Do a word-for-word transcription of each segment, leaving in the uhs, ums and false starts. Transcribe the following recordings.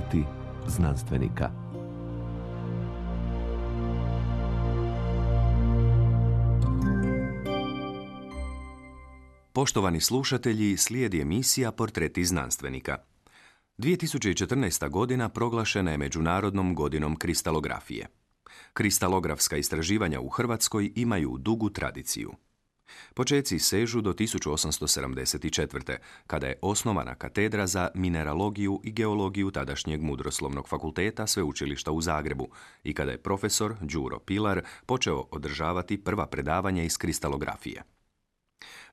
Portreti znanstvenika. Poštovani slušatelji, slijedi emisija Portreti znanstvenika. dvije tisuće četrnaesta. godina proglašena je Međunarodnom godinom kristalografije. Kristalografska istraživanja u Hrvatskoj imaju dugu tradiciju. Počeci sežu do tisuću osamsto sedamdeset četvrte. kada je osnovana katedra za mineralogiju i geologiju tadašnjeg Mudroslovnog fakulteta Sveučilišta u Zagrebu i kada je profesor Đuro Pilar počeo održavati prva predavanja iz kristalografije.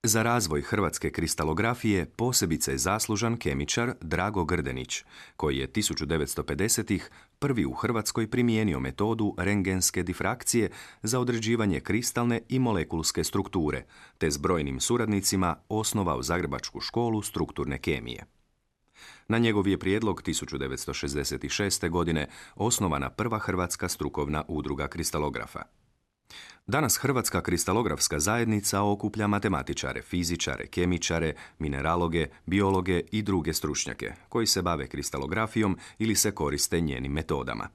Za razvoj hrvatske kristalografije posebice je zaslužan kemičar Drago Grdenić, koji je tisuću devetsto pedesetih. prvi u Hrvatskoj primijenio metodu rendgenske difrakcije za određivanje kristalne i molekulske strukture, te s brojnim suradnicima osnovao Zagrebačku školu strukturne kemije. Na njegov je prijedlog tisuću devetsto šezdeset šeste. godine osnovana prva hrvatska strukovna udruga kristalografa. Danas Hrvatska kristalografska zajednica okuplja matematičare, fizičare, kemičare, mineraloge, biologe i druge stručnjake koji se bave kristalografijom ili se koriste njenim metodama.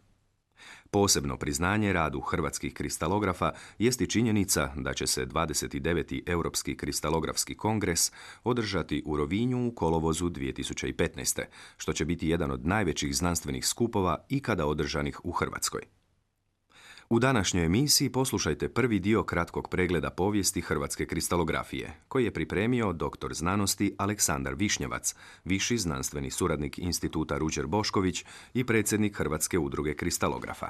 Posebno priznanje radu hrvatskih kristalografa jest i činjenica da će se dvadeset deveti. Europski kristalografski kongres održati u Rovinju u kolovozu dvije tisuće petnaeste. što će biti jedan od najvećih znanstvenih skupova ikada održanih u Hrvatskoj. U današnjoj emisiji poslušajte prvi dio kratkog pregleda povijesti hrvatske kristalografije, koji je pripremio doktor znanosti Aleksandar Višnjevac, viši znanstveni suradnik Instituta Ruđer Bošković i predsjednik Hrvatske udruge kristalografa.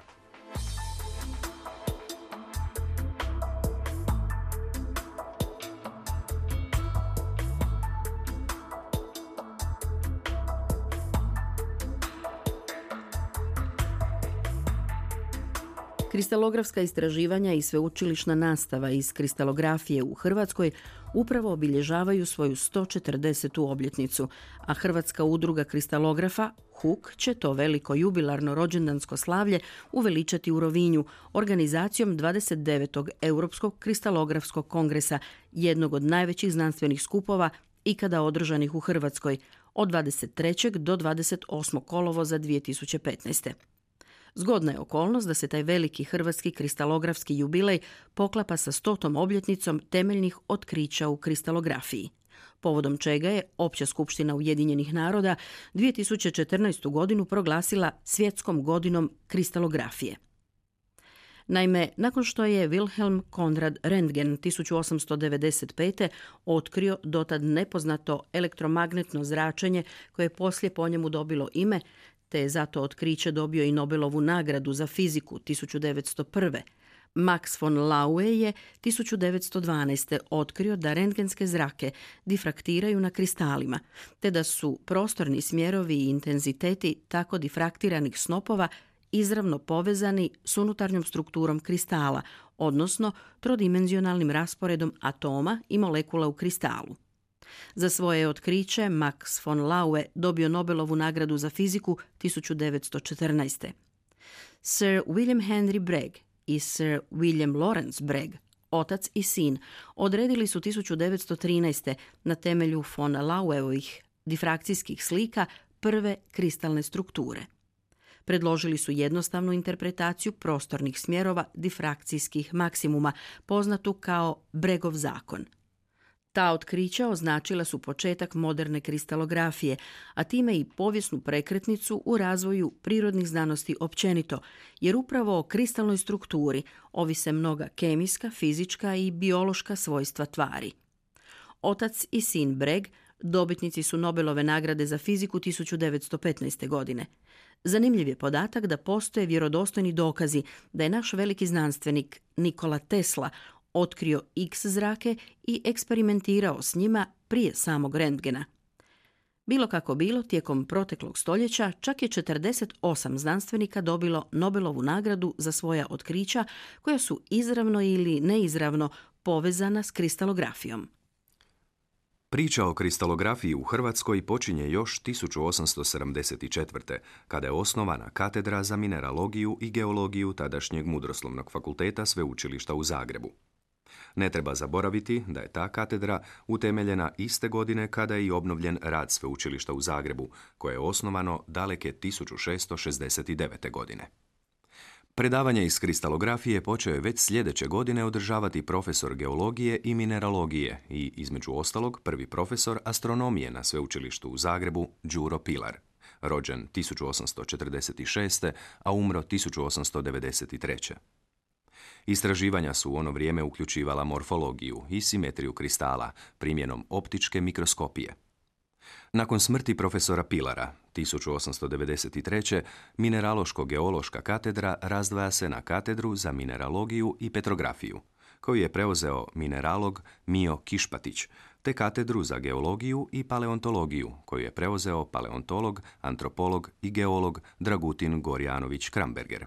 Kristalografska istraživanja i sveučilišna nastava iz kristalografije u Hrvatskoj upravo obilježavaju svoju sto četrdesetu obljetnicu, a Hrvatska udruga kristalografa H U K će to veliko jubilarno rođendansko slavlje uveličati u Rovinju organizacijom dvadeset devetog. Europskog kristalografskog kongresa, jednog od najvećih znanstvenih skupova ikada održanih u Hrvatskoj, od dvadeset trećeg do dvadeset osmog kolovoza dvije tisuće petnaeste. Zgodna je okolnost da se taj veliki hrvatski kristalografski jubilej poklapa sa stotom obljetnicom temeljnih otkrića u kristalografiji, povodom čega je Opća skupština Ujedinjenih naroda dvije tisuće četrnaestu. godinu proglasila svjetskom godinom kristalografije. Naime, nakon što je Wilhelm Konrad Röntgen tisuću osamsto devedeset pete. otkrio dotad nepoznato elektromagnetno zračenje koje je poslije po njemu dobilo ime, te je zato otkriće dobio i Nobelovu nagradu za fiziku tisuću devetsto prve. Max von Laue je tisuću devetsto dvanaeste. otkrio da rentgenske zrake difraktiraju na kristalima, te da su prostorni smjerovi i intenziteti tako difraktiranih snopova izravno povezani s unutarnjom strukturom kristala, odnosno trodimenzionalnim rasporedom atoma i molekula u kristalu. Za svoje otkriće Max von Laue dobio Nobelovu nagradu za fiziku tisuću devetsto četrnaeste. Sir William Henry Bragg i Sir William Lawrence Bragg, otac i sin, odredili su tisuću devetsto trinaeste. na temelju von Laueovih difrakcijskih slika prve kristalne strukture. Predložili su jednostavnu interpretaciju prostornih smjerova difrakcijskih maksimuma, poznatu kao Braggov zakon. Ta otkrića označila su početak moderne kristalografije, a time i povijesnu prekretnicu u razvoju prirodnih znanosti općenito, jer upravo o kristalnoj strukturi ovise mnoga kemijska, fizička i biološka svojstva tvari. Otac i sin Bragg dobitnici su Nobelove nagrade za fiziku tisuću devetsto petnaeste. godine. Zanimljiv je podatak da postoje vjerodostojni dokazi da je naš veliki znanstvenik Nikola Tesla otkrio X zrake i eksperimentirao s njima prije samog rentgena. Bilo kako bilo, tijekom proteklog stoljeća čak je četrdeset osam znanstvenika dobilo Nobelovu nagradu za svoja otkrića koja su izravno ili neizravno povezana s kristalografijom. Priča o kristalografiji u Hrvatskoj počinje još tisuću osamsto sedamdeset četvrte. kada je osnovana katedra za mineralogiju i geologiju tadašnjeg Mudroslovnog fakulteta Sveučilišta u Zagrebu. Ne treba zaboraviti da je ta katedra utemeljena iste godine kada je i obnovljen rad sveučilišta u Zagrebu, koje je osnovano daleke tisuću šessto šezdeset devete. godine. Predavanje iz kristalografije počeo je već sljedeće godine održavati profesor geologije i mineralogije i, između ostalog, prvi profesor astronomije na sveučilištu u Zagrebu, Đuro Pilar, rođen tisuću osamsto četrdeset šeste. a umro tisuću osamsto devedeset treće. Istraživanja su u ono vrijeme uključivala morfologiju i simetriju kristala primjenom optičke mikroskopije. Nakon smrti profesora Pilara, tisuću osamsto devedeset treće. mineraloško-geološka katedra razdvaja se na katedru za mineralogiju i petrografiju, koju je preuzeo mineralog Mio Kišpatić, te katedru za geologiju i paleontologiju, koju je preuzeo paleontolog, antropolog i geolog Dragutin Gorjanović-Kramberger.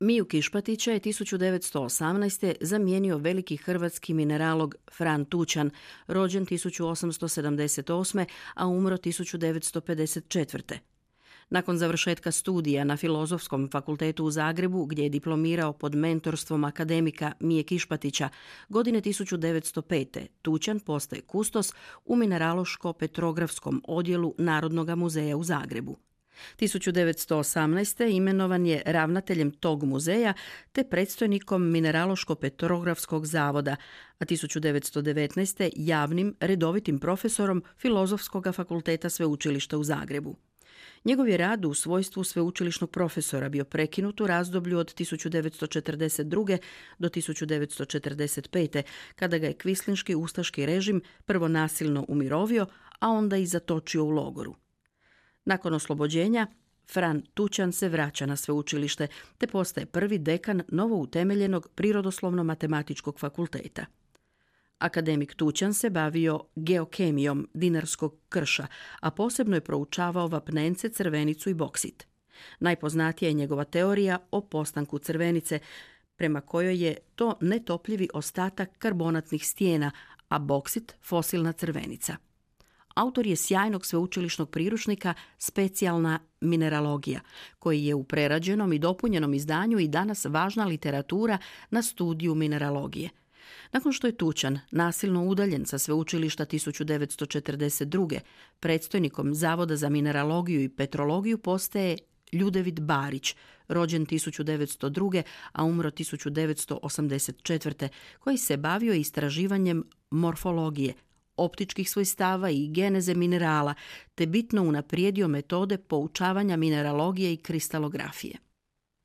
Miju Kišpatića je tisuću devetsto osamnaeste. zamijenio veliki hrvatski mineralog Fran Tučan, rođen tisuću osamsto sedamdeset osme. a umro tisuću devetsto pedeset četvrte. Nakon završetka studija na Filozofskom fakultetu u Zagrebu, gdje je diplomirao pod mentorstvom akademika Mije Kišpatića, godine tisuću devetsto pete. Tučan postaje kustos u mineraloško-petrografskom odjelu Narodnog muzeja u Zagrebu. tisuću devetsto osamnaeste. imenovan je ravnateljem tog muzeja te predstojnikom Mineraloško-petrografskog zavoda, a tisuću devetsto devetnaeste. javnim redovitim profesorom Filozofskog fakulteta sveučilišta u Zagrebu. Njegov je rad u svojstvu sveučilišnog profesora bio prekinut u razdoblju od tisuću devetsto četrdeset druge. do tisuću devetsto četrdeset pete. kada ga je kvislinški ustaški režim prvo nasilno umirovio, a onda i zatočio u logoru. Nakon oslobođenja, Fran Tučan se vraća na sveučilište te postaje prvi dekan novo utemeljenog Prirodoslovno-matematičkog fakulteta. Akademik Tučan se bavio geokemijom dinarskog krša, a posebno je proučavao vapnence, crvenicu i boksit. Najpoznatija je njegova teorija o postanku crvenice, prema kojoj je to netopljivi ostatak karbonatnih stijena, a boksit fosilna crvenica. Autor je sjajnog sveučilišnog priručnika Specijalna mineralogija, koji je u prerađenom i dopunjenom izdanju i danas važna literatura na studiju mineralogije. Nakon što je Tučan nasilno udaljen sa sveučilišta tisuću devetsto četrdeset druge. predstojnikom Zavoda za mineralogiju i petrologiju postaje Ljudevit Barić, rođen tisuću devetsto druge. a umro tisuću devetsto osamdeset četvrte. koji se bavio istraživanjem morfologije, optičkih svojstava i geneze minerala, te bitno unaprijedio metode poučavanja mineralogije i kristalografije.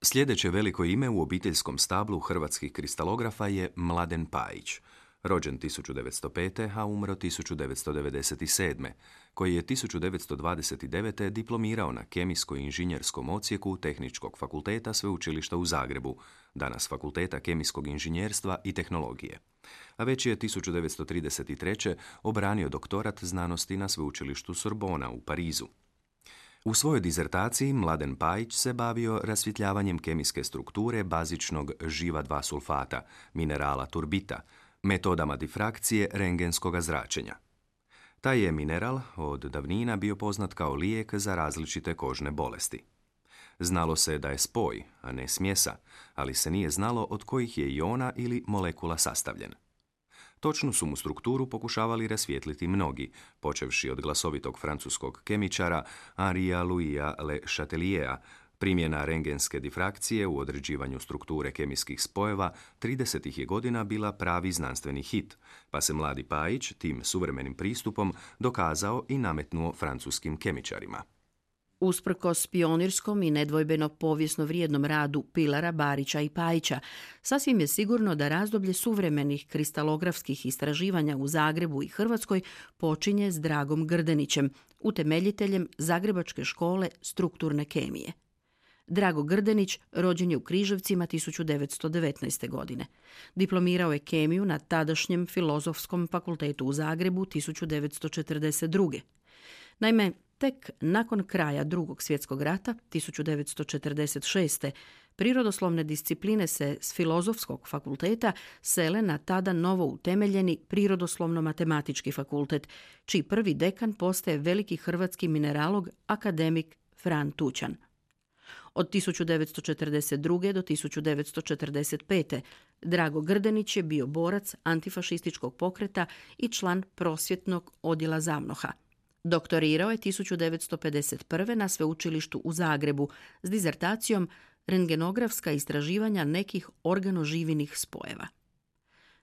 Sljedeće veliko ime u obiteljskom stablu hrvatskih kristalografa je Mladen Pajić, rođen tisuću devetsto pete. a umro tisuću devetsto devedeset sedme. koji je tisuću devetsto dvadeset devete. diplomirao na Kemijsko-inženjerskom odsjeku Tehničkog fakulteta sveučilišta u Zagrebu, danas Fakulteta kemijskog inženjerstva i tehnologije. A već je tisuću devetsto trideset treće. obranio doktorat znanosti na sveučilištu Sorbona u Parizu. U svojoj dizertaciji Mladen Pajić se bavio rasvjetljavanjem kemijske strukture bazičnog živa dva sulfata, minerala turbita, metodama difrakcije rengenskog zračenja. Taj je mineral od davnina bio poznat kao lijek za različite kožne bolesti. Znalo se da je spoj, a ne smjesa, ali se nije znalo od kojih je iona ili molekula sastavljen. Točnu su mu strukturu pokušavali rasvijetliti mnogi, počevši od glasovitog francuskog kemičara Henria Louisa Le Chateliera. Primjena rengenske difrakcije u određivanju strukture kemijskih spojeva tridesetih je godina bila pravi znanstveni hit, pa se mladi Pajić tim suvremenim pristupom dokazao i nametnuo francuskim kemičarima. Usprkos pionirskom i nedvojbeno povijesno vrijednom radu Pilara, Barića i Pajića, sasvim je sigurno da razdoblje suvremenih kristalografskih istraživanja u Zagrebu i Hrvatskoj počinje s Dragom Grdenićem, utemeljiteljem Zagrebačke škole strukturne kemije. Drago Grdenić rođen je u Križevcima tisuću devetsto devetnaeste. godine. Diplomirao je kemiju na tadašnjem Filozofskom fakultetu u Zagrebu tisuću devetsto četrdeset druge. Naime, tek nakon kraja Drugog svjetskog rata, tisuću devetsto četrdeset šeste. prirodoslovne discipline se s Filozofskog fakulteta sele na tada novo utemeljeni Prirodoslovno-matematički fakultet, čiji prvi dekan postaje veliki hrvatski mineralog akademik Fran Tučan. Od tisuću devetsto četrdeset druge. do tisuću devetsto četrdeset pete. Drago Grdenić je bio borac antifašističkog pokreta i član prosvjetnog odjela ZAVNOH-a. Doktorirao je tisuću devetsto pedeset prve. na sveučilištu u Zagrebu s dizertacijom Rentgenografska istraživanja nekih organoživinih spojeva.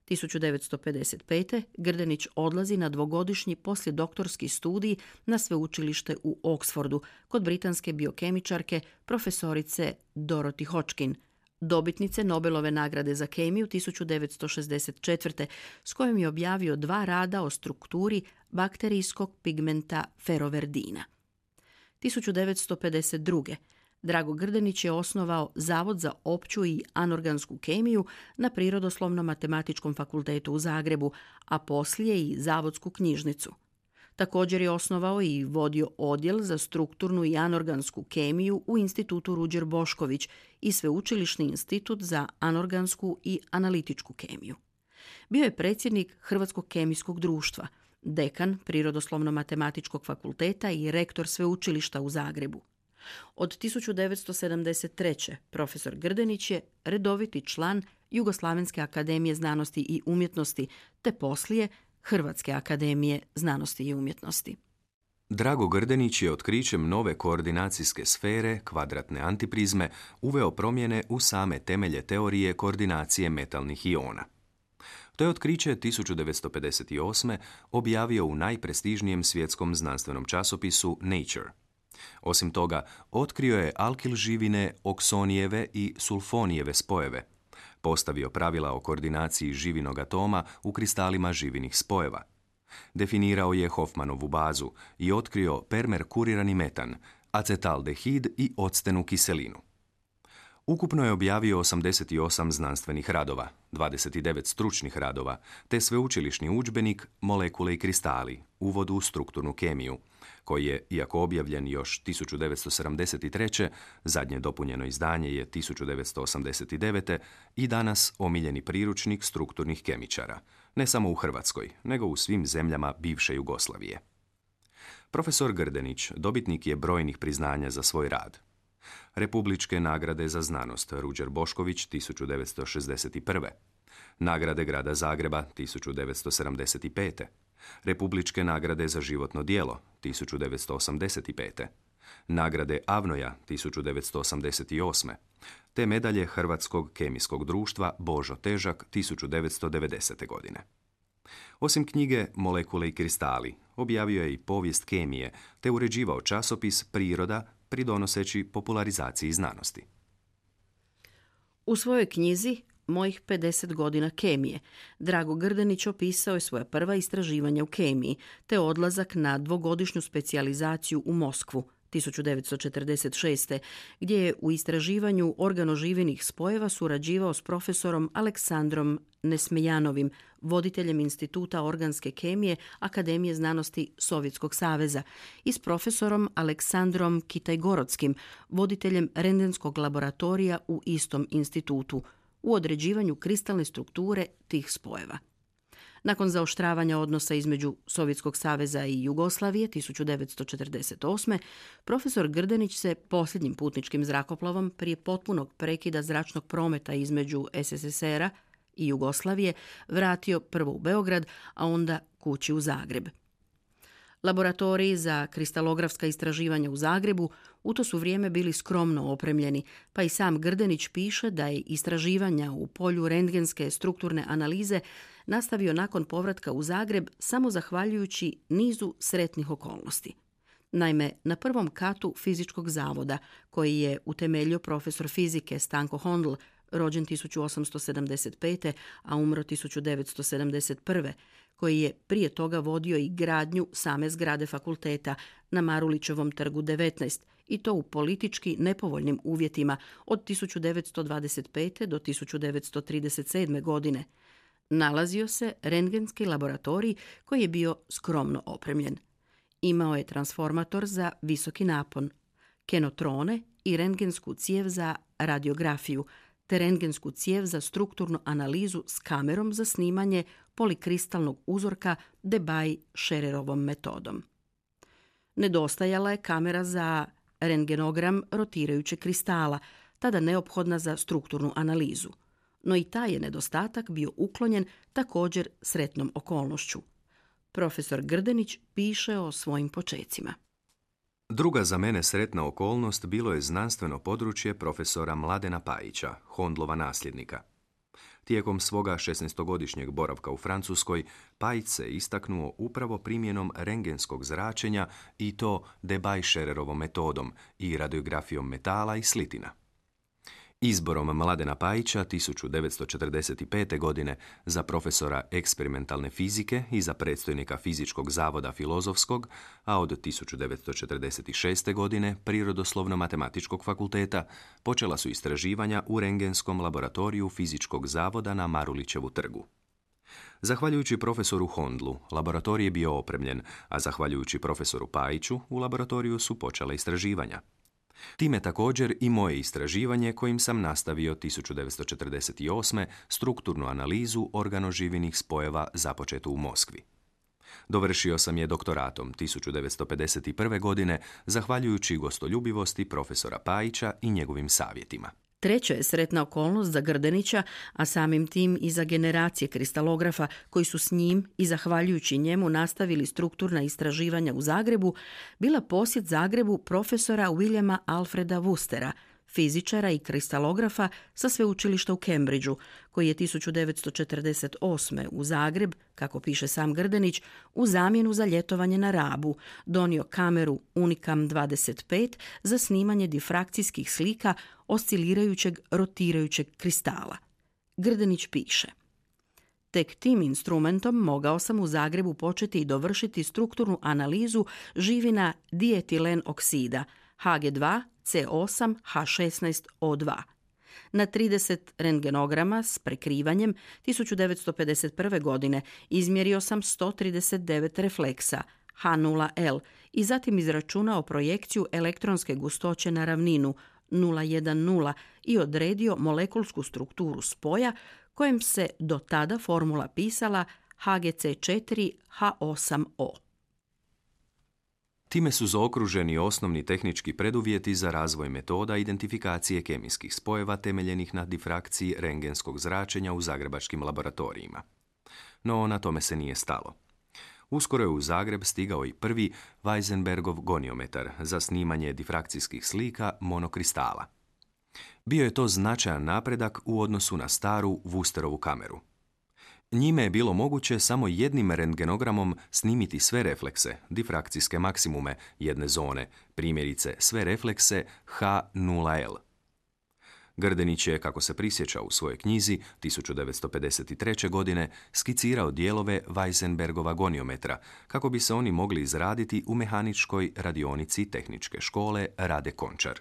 tisuću devetsto pedeset pete. Grdenić odlazi na dvogodišnji poslijedoktorski studij na sveučilište u Oxfordu kod britanske biokemičarke profesorice Dorothy Hodgkin, dobitnice Nobelove nagrade za kemiju tisuću devetsto šezdeset četvrte. s kojom je objavio dva rada o strukturi bakterijskog pigmenta feroverdina. tisuću devetsto pedeset druge. Drago Grdenić je osnovao Zavod za opću i anorgansku kemiju na Prirodoslovno-matematičkom fakultetu u Zagrebu, a poslije i Zavodsku knjižnicu. Također je osnovao i vodio odjel za strukturnu i anorgansku kemiju u Institutu Ruđer Bošković i Sveučilišni institut za anorgansku i analitičku kemiju. Bio je predsjednik Hrvatskog kemijskog društva, dekan Prirodoslovno-matematičkog fakulteta i rektor sveučilišta u Zagrebu. Od tisuću devetsto sedamdeset treće. profesor Grdenić je redoviti član Jugoslavenske akademije znanosti i umjetnosti, te poslije Hrvatske akademije znanosti i umjetnosti. Drago Grdenić je otkrićem nove koordinacijske sfere, kvadratne antiprizme, uveo promjene u same temelje teorije koordinacije metalnih iona. To je otkriće tisuću devetsto pedeset osme. objavio u najprestižnijem svjetskom znanstvenom časopisu Nature. Osim toga, otkrio je alkil živine oksonijeve i sulfonijeve spojeve, postavio pravila o koordinaciji živinog atoma u kristalima živinih spojeva, definirao je Hofmanovu bazu i otkrio permerkurirani metan, acetaldehid i octenu kiselinu. Ukupno je objavio osamdeset osam znanstvenih radova, dvadeset devet stručnih radova, te sveučilišni udžbenik Molekule i kristali, uvod u strukturnu kemiju, koji je, iako objavljen još tisuću devetsto sedamdeset treće. zadnje dopunjeno izdanje je tisuću devetsto osamdeset devete. i danas omiljeni priručnik strukturnih kemičara, ne samo u Hrvatskoj, nego u svim zemljama bivše Jugoslavije. Profesor Grdenić dobitnik je brojnih priznanja za svoj rad. Republičke nagrade za znanost Ruđer Bošković tisuću devetsto šezdeset prve. Nagrade grada Zagreba tisuću devetsto sedamdeset pete. Republičke nagrade za životno djelo tisuću devetsto osamdeset pete. Nagrade Avnoja tisuću devetsto osamdeset osme. te medalje Hrvatskog kemijskog društva Božo Težak tisuću devetsto devedesete. godine. Osim knjige Molekule i kristali, objavio je i povijest kemije, te uređivao časopis Priroda, pridonoseći popularizaciji znanosti. U svojoj knjizi Mojih pedeset godina kemije Drago Grdenić opisao je svoja prva istraživanja u kemiji, te odlazak na dvogodišnju specijalizaciju u Moskvu tisuću devetsto četrdeset šeste. gdje je u istraživanju organoživinih spojeva surađivao s profesorom Aleksandrom Nesmejanovim, voditeljem Instituta organske kemije Akademije znanosti Sovjetskog saveza, i s profesorom Aleksandrom Kitaj-Gorodskim, voditeljem rentgenskog laboratorija u istom institutu, u određivanju kristalne strukture tih spojeva. Nakon zaoštravanja odnosa između Sovjetskog saveza i Jugoslavije tisuću devetsto četrdeset osme. profesor Grdenić se posljednjim putničkim zrakoplovom prije potpunog prekida zračnog prometa između S S S R-a i Jugoslavije vratio prvo u Beograd, a onda kući u Zagreb. Laboratoriji za kristalografska istraživanja u Zagrebu u to su vrijeme bili skromno opremljeni, pa i sam Grdenić piše da je istraživanja u polju rentgenske strukturne analize nastavio nakon povratka u Zagreb samo zahvaljujući nizu sretnih okolnosti. Naime, na prvom katu fizičkog zavoda, koji je utemeljio profesor fizike Stanko Hondl, rođen tisuću osamsto sedamdeset pete. a umro tisuću devetsto sedamdeset prve. koji je prije toga vodio i gradnju same zgrade fakulteta na Marulićevom trgu devetnaest, i to u politički nepovoljnim uvjetima od tisuću devetsto dvadeset pete. do tisuću devetsto trideset sedme. godine. Nalazio se rentgenski laboratorij koji je bio skromno opremljen. Imao je transformator za visoki napon, kenotrone i rentgensku cijev za radiografiju, te rentgensku cijev za strukturnu analizu s kamerom za snimanje polikristalnog uzorka Debye-Schererovom metodom. Nedostajala je kamera za rentgenogram rotirajućeg kristala, tada neophodna za strukturnu analizu. No i taj je nedostatak bio uklonjen također sretnom okolnošću. Profesor Grdenić piše o svojim počecima. Druga za mene sretna okolnost bilo je znanstveno područje profesora Mladena Pajića, Hondlova nasljednika. Tijekom svoga šesnaestogodišnjeg boravka u Francuskoj, Pajić se istaknuo upravo primjenom rentgenskog zračenja i to Debye-Schererovom metodom i radiografijom metala i slitina. Izborom Mladena Pajića tisuću devetsto četrdeset pete. godine za profesora eksperimentalne fizike i za predstojnika Fizičkog zavoda Filozofskog, a od tisuću devetsto četrdeset šeste. godine Prirodoslovno-matematičkog fakulteta, počela su istraživanja u rentgenskom laboratoriju Fizičkog zavoda na Marulićevu trgu. Zahvaljujući profesoru Hondlu, laboratorij je bio opremljen, a zahvaljujući profesoru Pajiću, u laboratoriju su počela istraživanja. Time također i moje istraživanje kojim sam nastavio tisuću devetsto četrdeset osme. strukturnu analizu organoživinih spojeva započetu u Moskvi. Dovršio sam je doktoratom tisuću devetsto pedeset prve. godine zahvaljujući gostoljubivosti profesora Pajića i njegovim savjetima. Treća je sretna okolnost za Grdenića, a samim tim i za generacije kristalografa koji su s njim i zahvaljujući njemu nastavili strukturna istraživanja u Zagrebu, bila posjet Zagrebu profesora Williama Alfreda Wustera, fizičara i kristalografa sa sveučilišta u Cambridgeu, koji je tisuću devetsto četrdeset osme. u Zagreb, kako piše sam Grdenić, u zamjenu za ljetovanje na Rabu donio kameru Unicam dvadeset pet za snimanje difrakcijskih slika oscilirajućeg rotirajućeg kristala. Grdenić piše: Tek tim instrumentom mogao sam u Zagrebu početi i dovršiti strukturnu analizu živina dietilen oksida H G dva C osam H šesnaest O dva. Na trideset rentgenograma s prekrivanjem tisuću devetsto pedeset prve. godine izmjerio sam sto trideset devet refleksa H nula L i zatim izračunao projekciju elektronske gustoće na ravninu nula jedanaest i odredio molekulsku strukturu spoja kojem se do tada formula pisala H G C četiri H osam O. Time su zaokruženi osnovni tehnički preduvjeti za razvoj metoda identifikacije kemijskih spojeva temeljenih na difrakciji rentgenskog zračenja u zagrebačkim laboratorijima. No, na tome se nije stalo. Uskoro je u Zagreb stigao i prvi Weisenbergov goniometar za snimanje difrakcijskih slika monokristala. Bio je to značajan napredak u odnosu na staru Wusterovu kameru. Njime je bilo moguće samo jednim rentgenogramom snimiti sve reflekse, difrakcijske maksimume jedne zone, primjerice sve reflekse H nula L. Grdenić je, kako se prisjeća u svojoj knjizi, tisuću devetsto pedeset treće. godine skicirao dijelove Weisenbergova goniometra, kako bi se oni mogli izraditi u mehaničkoj radionici tehničke škole Rade Končar.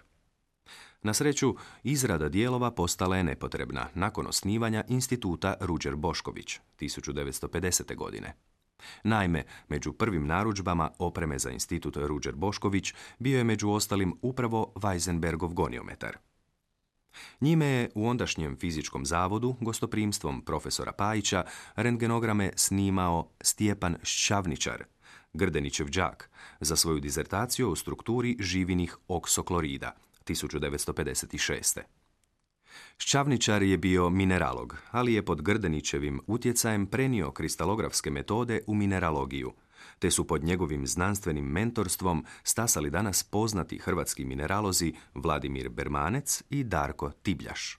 Na sreću, izrada dijelova postala je nepotrebna nakon osnivanja instituta Ruđer Bošković tisuću devetsto pedesete. godine. Naime, među prvim narudžbama opreme za institut Ruđer Bošković bio je među ostalim upravo Weisenbergov goniometar. Njime je u ondašnjem fizičkom zavodu, gostoprimstvom profesora Pajića, rentgenograme snimao Stjepan Šćavničar, Grdenićev đak, za svoju dizertaciju o strukturi živinih oksoklorida tisuću devetsto pedeset šeste. Šćavničar je bio mineralog, ali je pod Grdenićevim utjecajem prenio kristalografske metode u mineralogiju, te su pod njegovim znanstvenim mentorstvom stasali danas poznati hrvatski mineralozi Vladimir Bermanec i Darko Tibljaš.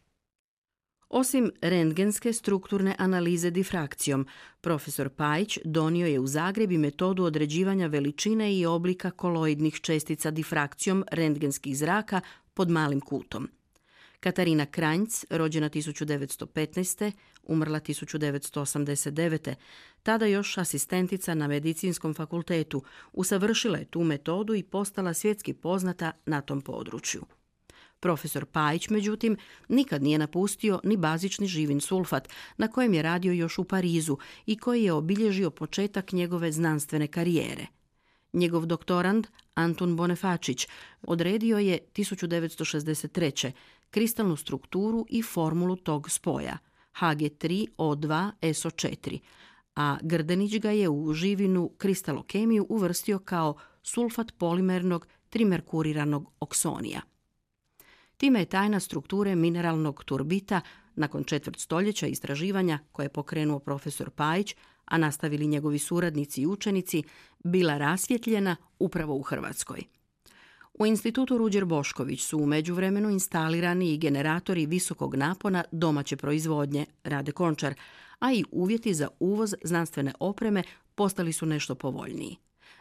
Osim rentgenske strukturne analize difrakcijom, profesor Pajić donio je u Zagreb i metodu određivanja veličine i oblika koloidnih čestica difrakcijom rentgenskih zraka pod malim kutom. Katarina Kranjc, rođena tisuću devetsto petnaeste. umrla tisuću devetsto osamdeset devete. tada još asistentica na medicinskom fakultetu, usavršila je tu metodu i postala svjetski poznata na tom području. Profesor Pajić, međutim, nikad nije napustio ni bazični živin sulfat, na kojem je radio još u Parizu i koji je obilježio početak njegove znanstvene karijere. Njegov doktorand, Antun Bonefačić, odredio je tisuću devetsto šezdeset treće. kristalnu strukturu i formulu tog spoja, H G tri O dva S O četiri, a Grdenić ga je u živinu kristalokemiju uvrstio kao sulfat polimernog trimerkuriranog oksonija. Time je tajna strukture mineralnog turbita nakon četvrt stoljeća istraživanja koje je pokrenuo profesor Pajić, a nastavili njegovi suradnici i učenici, bila rasvjetljena upravo u Hrvatskoj. U institutu Ruđer Bošković su u međuvremenu instalirani i generatori visokog napona domaće proizvodnje, Rade Končar, a i uvjeti za uvoz znanstvene opreme postali su nešto povoljniji.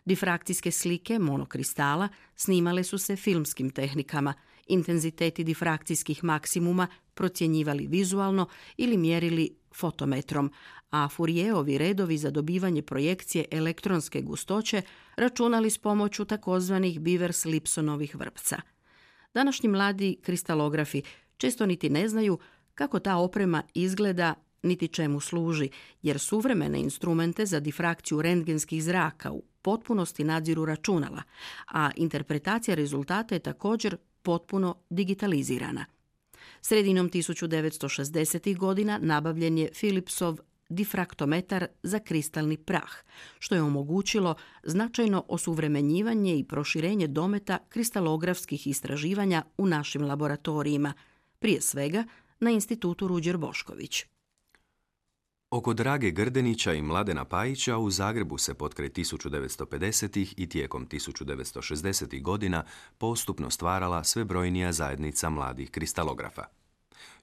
Difrakcijske slike monokristala snimale su se filmskim tehnikama, intenziteti difrakcijskih maksimuma procjenjivali vizualno ili mjerili fotometrom, a Fourijerovi redovi za dobivanje projekcije elektronske gustoće računali s pomoću takozvanih Bivers-Lipsonovih vrpca. Današnji mladi kristalografi često niti ne znaju kako ta oprema izgleda niti čemu služi, jer suvremene instrumente za difrakciju rentgenskih zraka u potpunosti nadziru računala, a interpretacija rezultata je također potpuno digitalizirana. Sredinom tisuću devetsto šezdesetih godina nabavljen je Philipsov difraktometar za kristalni prah, što je omogućilo značajno osuvremenjivanje i proširenje dometa kristalografskih istraživanja u našim laboratorijima, prije svega na institutu Ruđer Bošković. Oko Drage Grdenića i Mladena Pajića u Zagrebu se potkraj tisuću devetsto pedesetih i tijekom tisuću devetsto šezdesetih godina postupno stvarala sve brojnija zajednica mladih kristalografa.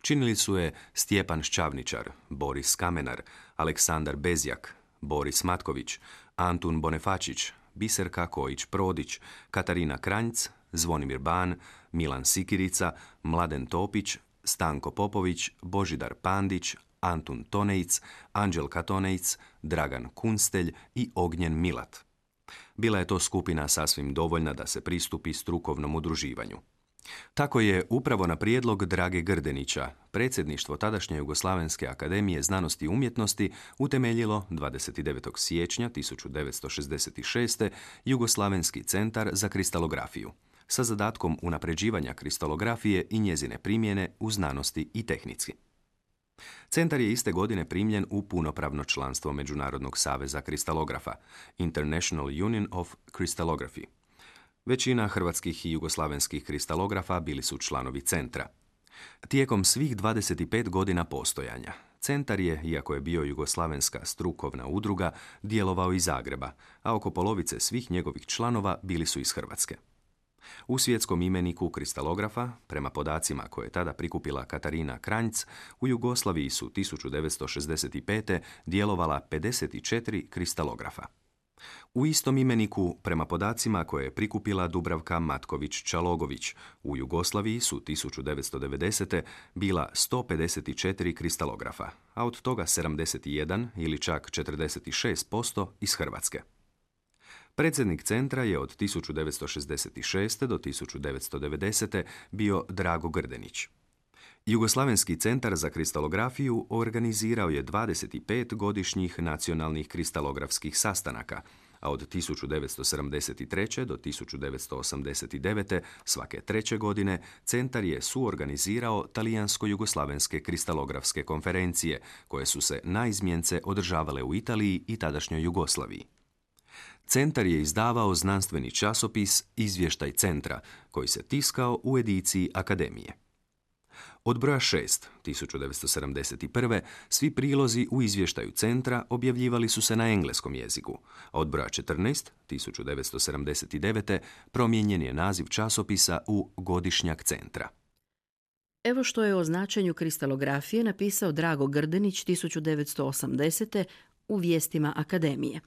Činili su je Stjepan Šćavničar, Boris Kamenar, Aleksandar Bezjak, Boris Matković, Antun Bonefačić, Biserka Kojić-Prodić, Katarina Kranjc, Zvonimir Ban, Milan Sikirica, Mladen Topić, Stanko Popović, Božidar Pandić, Antun Tonejc, Anđelka Tonejc, Dragan Kunstelj i Ognjen Milat. Bila je to skupina sasvim dovoljna da se pristupi strukovnom udruživanju. Tako je upravo na prijedlog Drage Grdenića predsjedništvo tadašnje Jugoslavenske akademije znanosti i umjetnosti utemeljilo dvadeset devetog siječnja tisuću devetsto šezdeset šeste. Jugoslavenski centar za kristalografiju sa zadatkom unapređivanja kristalografije i njezine primjene u znanosti i tehnici. Centar je iste godine primljen u punopravno članstvo Međunarodnog saveza kristalografa, International Union of Crystallography. Većina hrvatskih i jugoslavenskih kristalografa bili su članovi centra. Tijekom svih dvadeset pet godina postojanja, centar je, iako je bio jugoslavenska strukovna udruga, djelovao iz Zagreba, a oko polovice svih njegovih članova bili su iz Hrvatske. U svjetskom imeniku kristalografa, prema podacima koje je tada prikupila Katarina Kranjc, u Jugoslaviji su tisuću devetsto šezdeset pete. djelovala pedeset četiri kristalografa. U istom imeniku, prema podacima koje je prikupila Dubravka Matković-Čalogović, u Jugoslaviji su tisuću devetsto devedesete. bila sto pedeset četiri kristalografa, a od toga sedamdeset jedan ili čak četrdeset šest posto iz Hrvatske. Predsjednik centra je od tisuću devetsto šezdeset šeste. do tisuću devetsto devedesete. bio Drago Grdenić. Jugoslavenski centar za kristalografiju organizirao je dvadeset pet godišnjih nacionalnih kristalografskih sastanaka, a od tisuću devetsto sedamdeset treće. do tisuću devetsto osamdeset devete. svake treće godine centar je suorganizirao talijansko-jugoslavenske kristalografske konferencije, koje su se naizmjence održavale u Italiji i tadašnjoj Jugoslaviji. Centar je izdavao znanstveni časopis Izvještaj centra, koji se tiskao u ediciji Akademije. Od broja šest, tisuću devetsto sedamdeset prve. svi prilozi u izvještaju centra objavljivali su se na engleskom jeziku, a od broja četrnaest, tisuću devetsto sedamdeset devete. promijenjen je naziv časopisa u Godišnjak centra. Evo što je o značenju kristalografije napisao Drago Grdenić tisuću devetsto osamdesete. u Vijestima Akademije.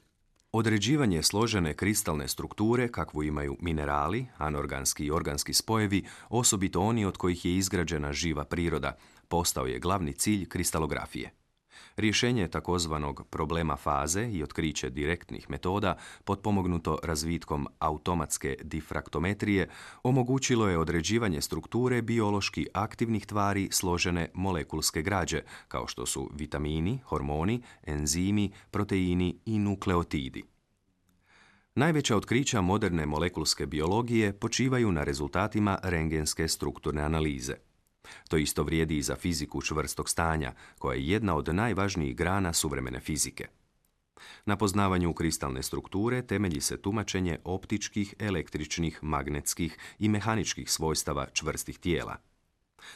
Određivanje složene kristalne strukture kakvu imaju minerali, anorganski i organski spojevi, osobito oni od kojih je izgrađena živa priroda, postao je glavni cilj kristalografije. Rješenje takozvanog problema faze i otkriće direktnih metoda, potpomognuto razvitkom automatske difraktometrije, omogućilo je određivanje strukture biološki aktivnih tvari složene molekulske građe, kao što su vitamini, hormoni, enzimi, proteini i nukleotidi. Najveća otkrića moderne molekulske biologije počivaju na rezultatima rentgenske strukturne analize. To isto vrijedi i za fiziku čvrstog stanja, koja je jedna od najvažnijih grana suvremene fizike. Na poznavanju kristalne strukture temelji se tumačenje optičkih, električnih, magnetskih i mehaničkih svojstava čvrstih tijela.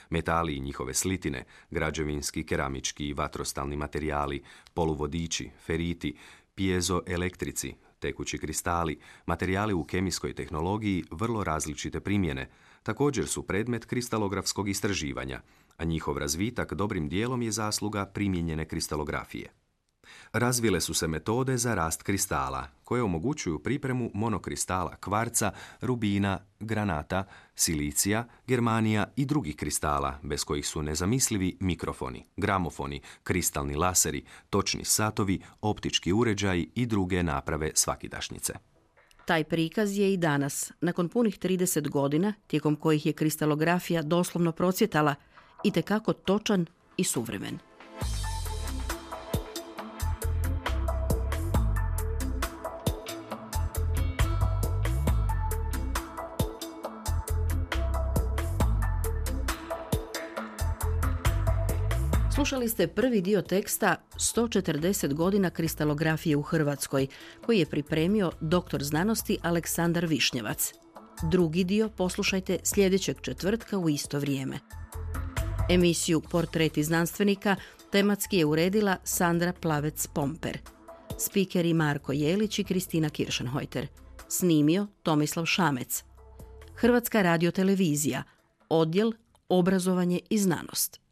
Metali i njihove slitine, građevinski, keramički i vatrostalni materijali, poluvodiči, feriti, pjezoelektrici, tekući kristali, materijali u kemijskoj tehnologiji vrlo različite primjene, također su predmet kristalografskog istraživanja, a njihov razvitak dobrim dijelom je zasluga primijenjene kristalografije. Razvile su se metode za rast kristala, koje omogućuju pripremu monokristala kvarca, rubina, granata, silicija, germanija i drugih kristala, bez kojih su nezamislivi mikrofoni, gramofoni, kristalni laseri, točni satovi, optički uređaji i druge naprave svakidašnjice. Taj prikaz je i danas, nakon punih trideset godina, tijekom kojih je kristalografija doslovno procvjetala, itekako točan i suvremen. Slušali ste prvi dio teksta sto četrdeset godina kristalografije u Hrvatskoj, koji je pripremio doktor znanosti Aleksandar Višnjevac. Drugi dio poslušajte sljedećeg četvrtka u isto vrijeme. Emisiju Portreti znanstvenika tematski je uredila Sandra Plavec-Pomper. Spikeri Marko Jelić i Kristina Kiršenhojter. Snimio Tomislav Šamec. Hrvatska radiotelevizija. Odjel Obrazovanje i znanost.